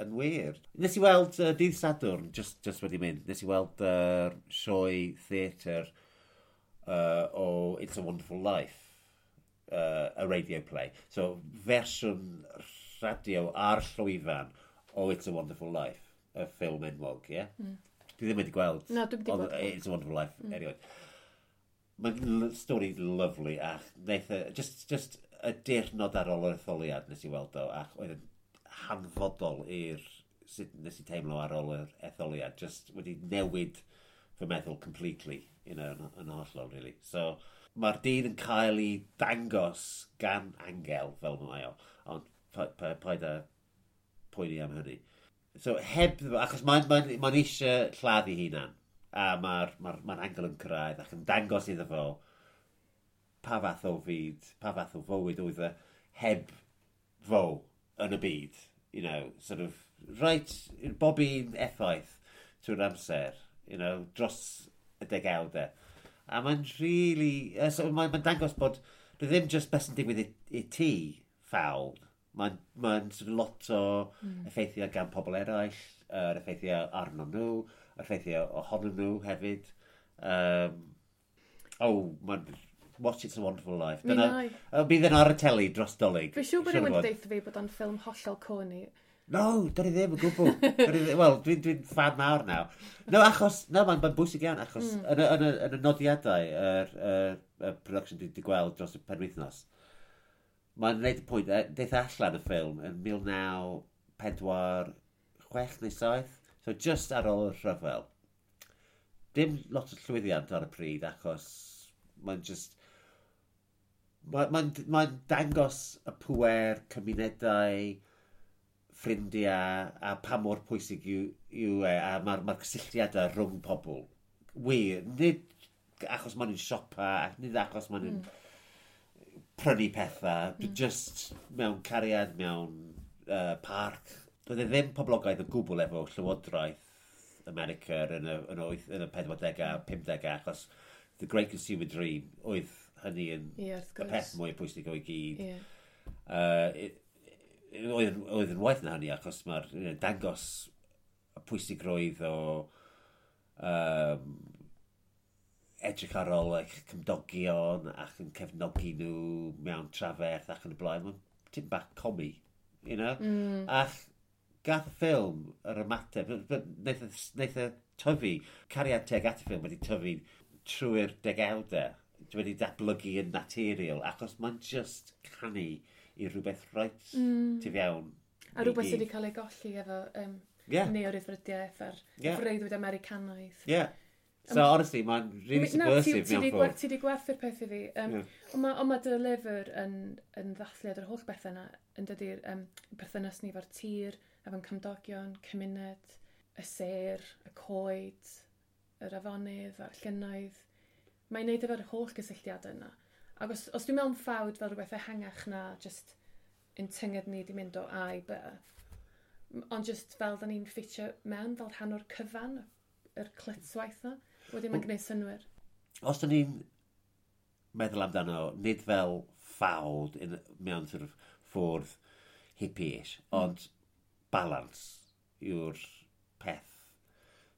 yn wir. Nes i weld uh, dydd Sadwrn, just, just wedi mynd, nes i weld uh, sioe theatr uh, o It's a Wonderful Life, uh, a radio play. So, fersiwn radio ar llwyfan o It's a Wonderful Life, y ffilm enwog, ie? Yeah? Mm. Dwi ddim wedi gweld Na, dwi'm wedi gweld. It's a Wonderful Life mm. erioed. Mae'n stori lovely a wnaeth e, just, just y diwrnod ar ôl yr etholiad nes i weld o, ac oedd yn hanfodol i'r sut nes i teimlo ar ôl yr etholiad, just wedi newid fy meddwl completely, you know, yn, yn hollol, really. So, mae'r dyn yn cael ei dangos gan angel, fel mae o, ond paid â poeni am hynny. So, heb, achos mae'n mae, mae eisiau lladd ei hunan, a mae'r ma ma angel yn cyrraedd ac yn dangos iddo fo pa fath o fyd, pa fath o fywyd oedd e heb fo yn y byd. You know, sort of, right, bob un effaith trwy'r amser, you know, dros y degawdau. A mae'n really, uh, so mae'n ma dangos bod dwi ddim just beth sy'n digwydd i, i ti, ffawd. Mae'n ma sort of lot o mm. effeithiau gan pobl eraill, yr effeithiau arno nhw, yr effeithiau ohonyn nhw hefyd. Um, oh, mae'n Watch It's a Wonderful Life. Mi Dyna, wna i. uh, bydd yn ar y teli dros Dolig. Fi'n siŵr bod Siŵr rhywun o fod. wedi deutha fi bod o'n ffilm hollol corny. No, dyn ni ddim yn gwbl. Dyn ni ddim- Wel, dwi'n dwi fan mawr nawr. No, achos, no, mae'n ma bwysig iawn, achos mm. yn, y, yn, y, yn y nodiadau, yr, yr, y production dwi wedi gweld dros y penwythnos, mae'n gwneud y pwynt, e, deith allan y ffilm yn mil naw pedwar chwech neu saith, so just ar ôl y rhyfel. Dim lot o llwyddiant ar y pryd, achos mae'n just... Mae'n ma ma dangos y pwer, cymunedau, ffrindiau, a pa mor pwysig yw, yw e, a mae'r ma cysylltiadau rhwng pobl. Wir, nid achos maen nhw'n siopa, ac nid achos maen nhw'n mm. prynu pethau, mm. just mewn cariad, mewn uh, parc. Doedd e ddim poblogaidd o gwbl efo Llywodraeth America yn y, yn y, wyth- yn y pedwardegau a pumdegau, achos The Great Consumer Dream oedd hynny yn Ie, wrth y gwrs. peth mwy pwysig o'i gyd. Ie. Uh, oedd, yn- oedd yn waeth na hynny achos mae'r you know, dangos y pwysigrwydd o um, edrych ar ôl eich cymdogion ac yn cefnogi nhw mewn traferth ac yn y blaen. Mae'n tipyn bach comi, you know? Mm. Ac gath y ffilm yr ymateb, wnaeth e- wnaeth e tyfu, cariad tuag at y ffilm wedi tyfu trwy'r degawdau, wedi datblygu yn naturiol, achos mae'n just canu i rhywbeth reit mm. tu fewn. A i rhywbeth sydd gyd. wedi cael ei golli efo um, Yeah, neo-ryddfrydiaeth a'r Ie. freuddwyd Americanaidd. yeah. So, honestly, mae'n really Na, ti, subversive ti mewn di, ffordd. ti di gwerthu'r peth i fi. Um, Ie. Ond mae on ma dy lyfr yn, yn ddathliad o'r holl bethau yna, yn dydy'r um, perthynas ni efo'r tir, efo'n cymdogion, cymuned, y sêr, y coed, yr afonydd a'r llynnoedd. Mae'n neud efo'r holl gysylltiadau yna. Ac os, os dwi'n mewn ffawd fel rhywbeth ehangach na just yn tynged ni di mynd o A i B, m- ond just fel da ni'n ffitio mewn fel rhan o'r cyfan, yr clytwaith na, wedyn mae'n gwneud synnwyr. Os dyn ni'n meddwl amdano, nid fel ffawd in, mewn sort of ffordd hippie-ish, mm. ond balance yw'r peth.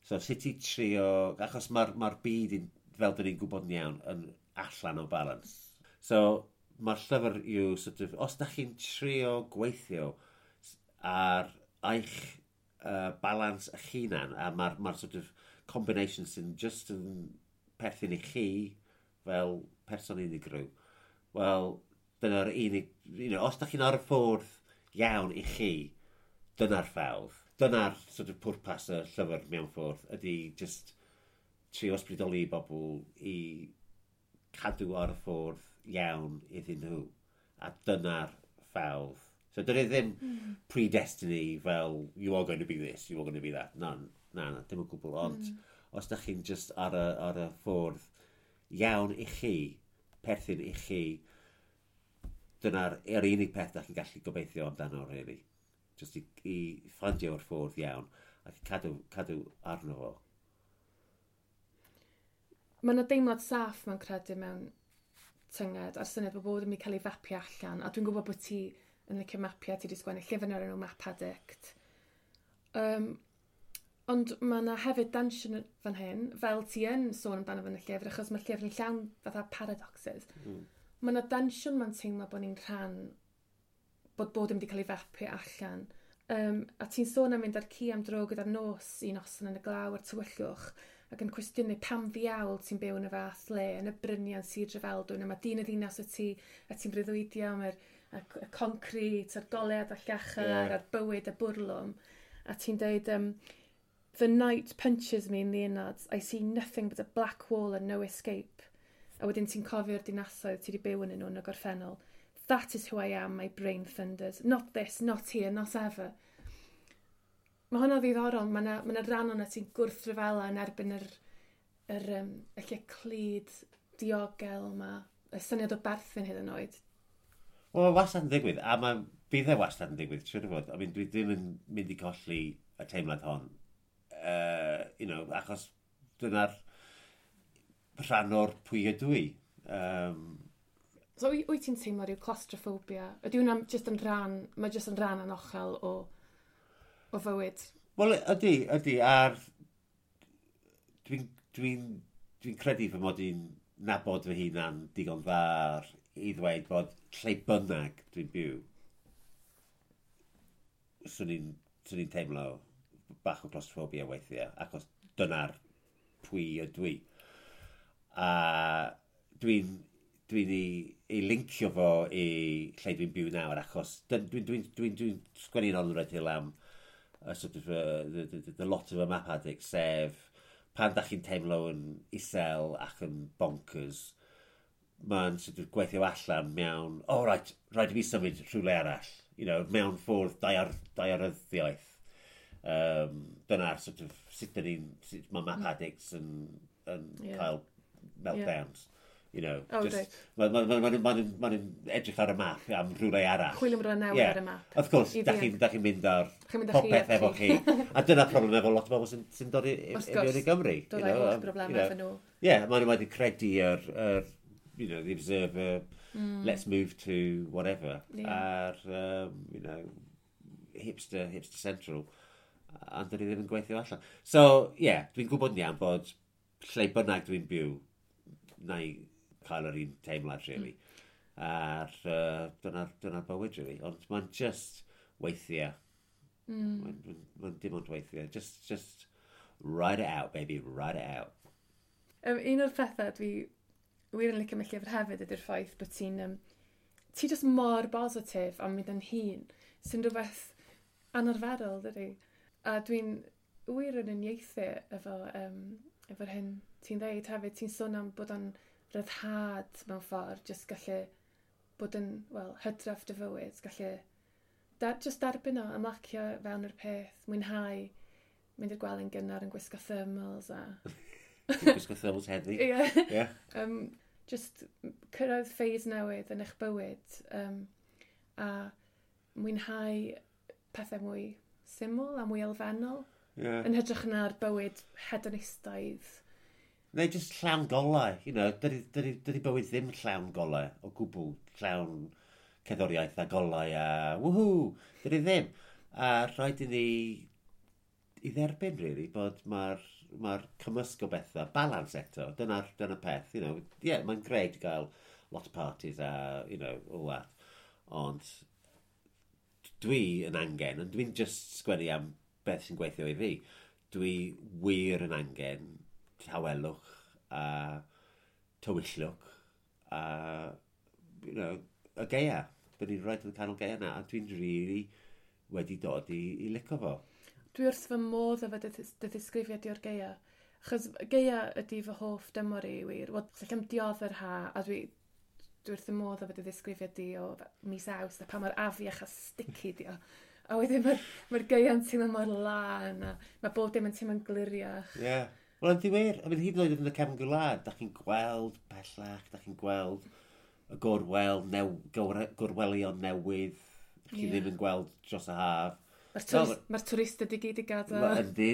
So sut i trio, achos mae'r ma byd, in, fel dyn ni'n gwybod yn iawn, yn allan o balance. So, mae'r llyfr yw, sort of, os da chi'n trio gweithio ar eich uh, balance eich hunan, a mae'r ma sort of combination sy'n just yn perthyn i chi fel person unigryw, wel, dyna'r unig, you know, os da chi'n ar y ffordd iawn i chi, dyna'r ffordd. Dyna'r sort of pwrpas y llyfr mewn ffordd, ydy just trio ysbrydoli bobl i cadw ar y ffordd iawn iddyn nhw. A dyna'r ffordd. So dyna ddim mm. predestiny fel you are going to be this, you are going to be that. Na, na, na, dim o gwbl. Ond mm. os da chi'n just ar y, ar y ffordd iawn i chi, perthyn i chi, dyna'r yr unig peth da chi'n gallu gobeithio amdano, really. Just i, i ffindio'r ffordd iawn ac i cadw, cadw arno fo. Mae yna deimlad saff mewn credu mewn tynged a'r syniad bod bod yn mynd i cael ei fapio allan. A dwi'n gwybod bod ti yn licio mapiau, ti wedi sgwennu llyfr o'r enw Map Addict. Um, ond mae yna hefyd tensiwn fan hyn, fel ti yn sôn amdano fan y llyfr, achos mae'r llyfr yn llawn fatha paradoxes. Mm. Mae yna tensiwn ma'n teimlo bod ni'n rhan, bod bod yn mynd i cael ei fapio allan. Um, a ti'n sôn am mynd ar ci am dro gyda'r nos un noson yn y glaw a'r tywyllwch ac yn cwestiynu pam ddiawl ti'n byw yn y fath le, yn y bryniau yn Sir Drefaldwyn, a mae dyn y ddinas o ti, a ti'n breuddwydio am yr, y, y concrit, a'r golead a llachar, yeah. a'r bywyd a bwrlwm. A ti'n deud, um, "The night punches me in the innards. I see nothing but a black wall and no escape." A wedyn ti'n cofio'r dinasoedd ti wedi byw yn nhw yn y gorffennol. "That is who I am, my brain thunders. Not this, not here, not ever." Mae hwnna ddiddorol. Mae yna ma rhan o'na ti'n gwrthryfela yn erbyn yr, yr, um, y lle clyd diogel yma. Y syniad o berthyn hyd yn oed. Wel, mae wastad yn digwydd, a mae bydd e wastad yn digwydd, siwr o fod. I mean, dwi ddim yn mynd i colli y teimlad hon. Uh, you know, achos dyna'r rhan o'r pwy ydw i. Um, So, wyt wyt ti'n teimlo rhyw claustrophobia? Ydy hwnna jyst yn rhan, mae jyst yn rhan anochel o, o fywyd? Wel, ydy, ydy, a'r... Dwi'n dwi dwi credu fy mod i'n nabod fy hunan digon dda i ddweud bod lle bynnag dwi'n byw, swn i'n swn i'n teimlo bach o claustrophobia weithiau, achos dyna'r pwy ydw i. A dwi'n dwi'n i, i lincio fo i lle dwi'n byw nawr, achos dwi'n dwi, dwi, dwi, dwi sgwennu'n On the Red Hill am y sort of, uh, the, the, the lot of a map addict, sef pan da chi'n teimlo yn isel ac yn bonkers, mae'n sort of gweithio allan mewn, oh right, rhaid i fi symud rhywle arall, you know, mewn ffordd daear, daearyddiaeth. Um, dyna'r sort of, sut dyn ni'n, sut mae map addicts yn, yn yeah. cael meltdowns. Yeah. You know, Oh, just, reit. Mae'n ma, ma, ma, ma, ma, ma edrych ar y map am rhywle arall. Chwilio am rhywle newydd Yeah. ar y map. Of course, I da ddianc. chi'n da chi mynd ar Chi'n mynd â chi popeth efo efo chi. A dyna'r problem efo lot o bobl sy'n sy dod i, i, Wrth i mewn gwrs. i Gymru. Dod you â'i know, holl um, broblemau you know. efo nhw. Yeah, maen nhw wedi credu yr, yr, you know, the Observer, mm. let's move to whatever. Yeah. A'r, um, you know, hipster, hipster central. A dyn ni ddim yn gweithio allan. So, yeah, dwi'n gwybod yn iawn bod lle bynnag dwi'n byw, na i cael yr un teimlad, really. Mm. A'r, uh, dyna'r dyna bywyd, really. Ond mae'n just weithiau. Mm. Mae'n ma, ma dim ond weithiau. Just, just ride it out, baby, ride it out. Um, un o'r pethau dwi wir yn licio am y llyfr hefyd ydy'r ffaith bod ti'n um, ti just mor bositif am mynd yn hun, sy'n rhywbeth anarferol, dydy? A dwi'n wir yn uniaethu efo, um, efo'r hyn ti'n dweud hefyd. Ti'n sôn am bod o'n ryddhad mewn ffordd, just gallu bod yn, wel, hydraff dy fywyd, gallu da, just derbyn o, ymlacio fewn yr peth, mwynhau, mynd i'r gwely'n gynnar yn gwisgo thermals a Dwi'n gwisgo thermals heddi. Ie. Yeah. um, just cyrraedd phase newydd yn eich bywyd um, a mwynhau pethau mwy syml a mwy elfennol Yeah. yn hytrach na'r bywyd hedonistaidd. Neu just llawn golau, you know, dydy, dydy, dydy bywyd ddim llawn golau o gwbl, llawn cerddoriaeth a golau a woohoo, dydy ddim. A rhaid i ni i dderbyn, really, bod mae'r ma cymysg o bethau, balance eto, dyna'r dyna peth, you know, yeah, mae'n great i gael lot of parties a, you know, all that, ond dwi yn angen, ond dwi'n just sgwennu am beth sy'n gweithio i fi, dwi wir yn angen tawelwch a tywyllwch a, you know, y gaea. Dyn ni'n rhaid yn y canol gaea na, a dwi'n really wedi dod i, i licio fo. Dwi wrth fy modd efo dy, dy ddisgrifiad i o'r gaea. Achos gaea ydy fy hoff dymor i wir. Wel, allai'm dioddef yr ha, a dwi, dwi wrth fy modd efo dy ddisgrifiad di o mis Awst, a pa mor afiach a sticky di o. A wedyn mae'r mae gaea'n teimlo mor lân, a mae bob dim yn teimlo'n gliriach. Ie. Yeah. Wel, ydy wir. I mean, hyd yn oed yn y cefn gwlad, da chi'n gweld pellach, da chi'n gweld y gorwel, new, gorwelion newydd, chi yeah. ddim yn gweld dros y haf. Mae'r tourist, ma twristiaid i gyd i gadael. Yndi,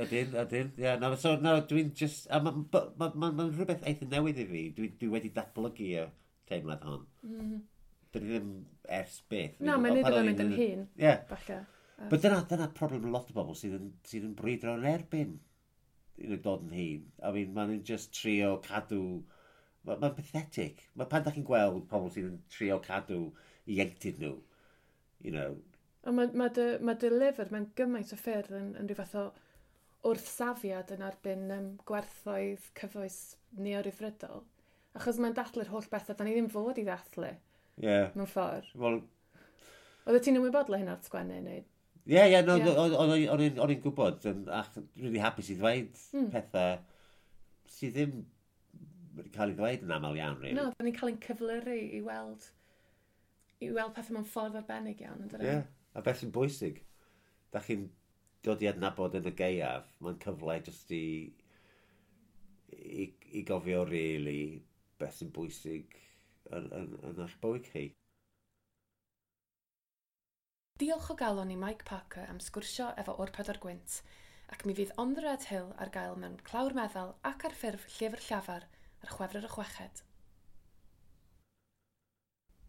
ydyn, ydyn. Yeah, no, so, no, dwi'n just... Mae'n ma, ma, ma, ma rhywbeth eitha newydd i fi. Dwi, dwi wedi datblygu y teimlad hon. Mm. Dwi ddim ers byth. Na, mae'n neud o'n mynd yn hŷn. Ie. Yeah. Falle. But dyna, dyna problem lot o bobl sydd yn, sydd yn brwydro yn erbyn you know, dod yn hŷn. I mean, maen nhw'n just trio cadw. Mae'n ma pathetic. Mae pan da chi'n gweld pobl sydd yn trio cadw ieuenctid nhw, you know. Ond mae, ma dy, ma dy lyfr, mae'n gymaint o ffyrdd yn, yn rhyw fath o wrthsafiad yn erbyn um, gwerthoedd cyfoes neoryddfrydol. Achos mae'n dathlu'r holl bethau, da ni ddim fod i ddathlu. Yeah. Mewn ffordd. Well, Oedd ti'n ymwybodol o hynna wrth sgwennu? Neu? Ie, ie, no, o'n i'n gwybod, ac really hapus i ddweud mm. pethau sydd ddim wedi cael ei ddweud yn aml iawn, really. No, da ni'n cael ein cyflyru i weld, i weld pethau mewn ffordd arbennig iawn, yn Ie, yeah. A beth sy'n bwysig, da chi'n dod i adnabod yn y gaeaf, mae'n cyfle jyst i, i, i gofio really beth sy'n bwysig yn, yn, yn eich bywyd chi. Diolch o galon i Mike Parker am sgwrsio efo O'r Pedwar Gwynt, ac mi fydd On the Red Hill ar gael mewn clawr meddal ac ar ffurf llyfr llafar ar Chwefror y chweched.